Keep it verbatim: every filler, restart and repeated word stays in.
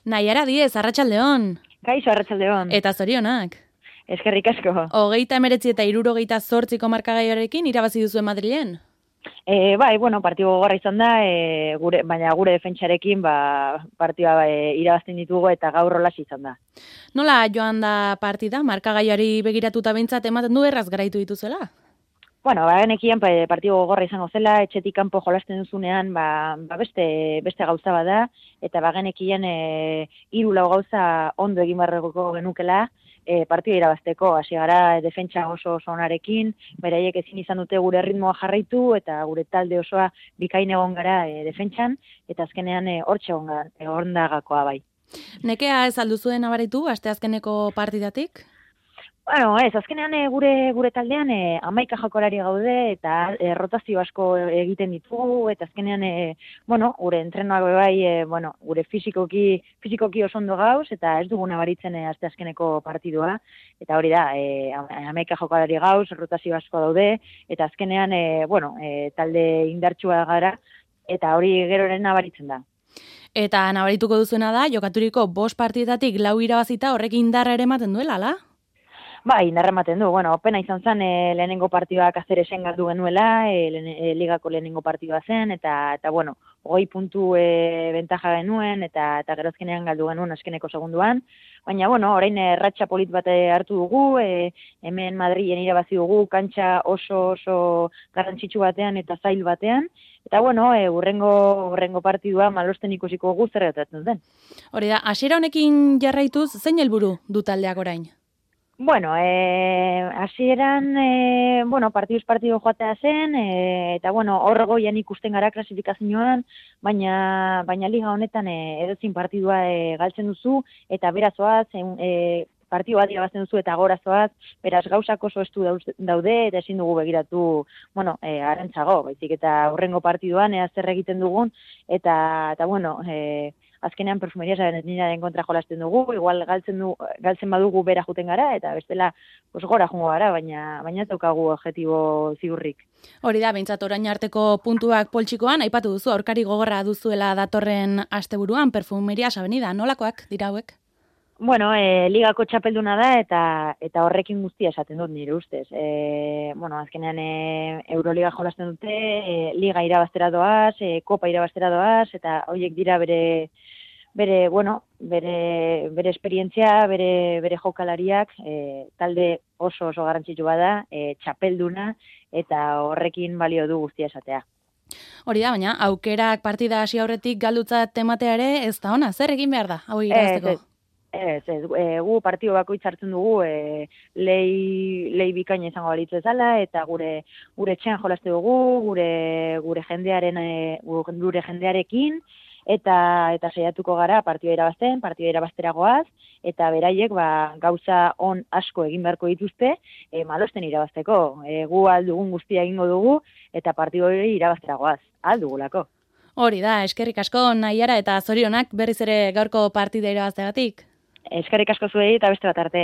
Naiara Diez, arratsaldeon. Kaixo, arratsaldeon. Eta zorionak. Eskerrik asko. Hogeita emeretzi eta hirurogeita zortziko markagaiarekin irabazi duzuen Madrilen? E, bai, bueno, partidu gogorra izan da, e, gure, baina gure defentsarekin ba, partida e, irabazten ditugu eta gaur rolas izan da. Nola joan da partida? Markagaiari begiratuta behintzat ematen du erraz garaitu dituzela? Bueno, ba, genekien partidu gogorra izango zela, etxetik kanpo jolasten duzunean, ba, ba beste, beste gauza bada, eta ba, genekien e, hiru lau gauza ondo egin barrego genukela, e, partida irabazteko, hasi gara defentsa oso oso onarekin, beraiek ezin izan dute gure ritmoa jarraitu, eta gure talde osoa bikain egon gara e, defentsan, eta azkenean e, hortxe egon da gakoa bai. Nekea ez alduzuen abaritu, asteazkeneko partidatik? Bueno, ez, azkenean e, gure gure taldean e, hamaika jokolari gaude eta e, rotazio asko egiten ditugu eta azkenean e, bueno, gure entrenoak bai, e, bueno, gure fisikoki fisikoki oso ondo gauz eta ez dugu nabaritzen e, asteazkeneko partidua eta hori da, e, hamaika jokolari gauz, rotazio asko daude eta azkenean e, bueno, e, talde indartsua gara eta hori geroren nabaritzen da. Eta nabarituko duzuena da, jokaturiko bost partidetatik lau irabazita horrekin indarra ere ematen duela, ala? Bai, indarra ematen du. Bueno, pena izan zen e, lehenengo partidua Kaceresen galdu genuela, e, lehen, e, ligako lehenengo partidua zen, eta, eta bueno, hogei puntu e, bentaja genuen, eta, eta gerozkenean galdu genuen azkeneko segunduan. Baina, bueno, orain erratxa polit bat hartu dugu, e, hemen Madrilen irabazi dugu, kantxa oso oso garrantzitsu batean eta zail batean, eta bueno, e, urrengo, urrengo partidua malosten ikusiko gu zer gertatzen zen. Hori da, hasiera honekin jarraituz, zein helburu du taldeak orain? Bueno, eh, hasieran, eh, bueno, partiduz partidu joatea zen, eh, eta bueno, hor goian ikusten gara klasifikazioan, baina, baina liga honetan eh, edozin partidua eh, galtzen duzu, eta berazoaz, eh, partidu bat irabazten duzu eta gorazoaz, beraz gauzak oso estu daude, eta ezin dugu begiratu, bueno, eh, arantzago, baizik eta hurrengo partiduan, ea zer egiten dugun, eta, eta bueno, eh, azkenean perfumeria sabenetninaren kontra jolasten dugu, igual galtzen, du, galtzen badugu bera juten gara, eta bestela pues, gora jungo gara, baina baina ez daukagu objektibo ziurrik. Hori da, behintzat orain arteko puntuak poltsikoan, aipatu duzu, aurkari gogorra duzuela datorren asteburuan, perfumeria sabenida, nolakoak dira hauek? Bueno, e, ligako txapelduna da, eta eta horrekin guztia esaten dut nire ustez. E, bueno, azkenean e, Euroliga jolasten dute, e, liga irabaztera doaz, e, kopa irabaztera doaz, eta horiek dira bere, bere, bueno, bere, bere esperientzia, bere, bere jokalariak, e, talde oso oso garrantzitsu bada, e, txapelduna, eta horrekin balio du guztia esatea. Hori da, baina aukerak partida hasi aurretik galdutzat ematea ere ez da ona, zer egin behar da, hau irabazteko? Ez, ez, e, gu partido bakoitz hartzen dugu e, lehi, lehi bikaina izango balitz ezala, eta gure gure etxean jolaste dugu, gure gure jendearen e, gure jendearekin, eta eta saiatuko gara partida irabazten, partida irabazteragoaz, eta beraiek ba, gauza on asko egin beharko dituzte, e, malosten irabazteko. E, gu aldugun guztia egingo dugu, eta partida hori irabazteragoaz, aldugulako. Hori da, eskerrik asko Naiara eta zorionak berriz ere gaurko partida irabazteagatik. Eskerrik asko zuei eta beste bat arte.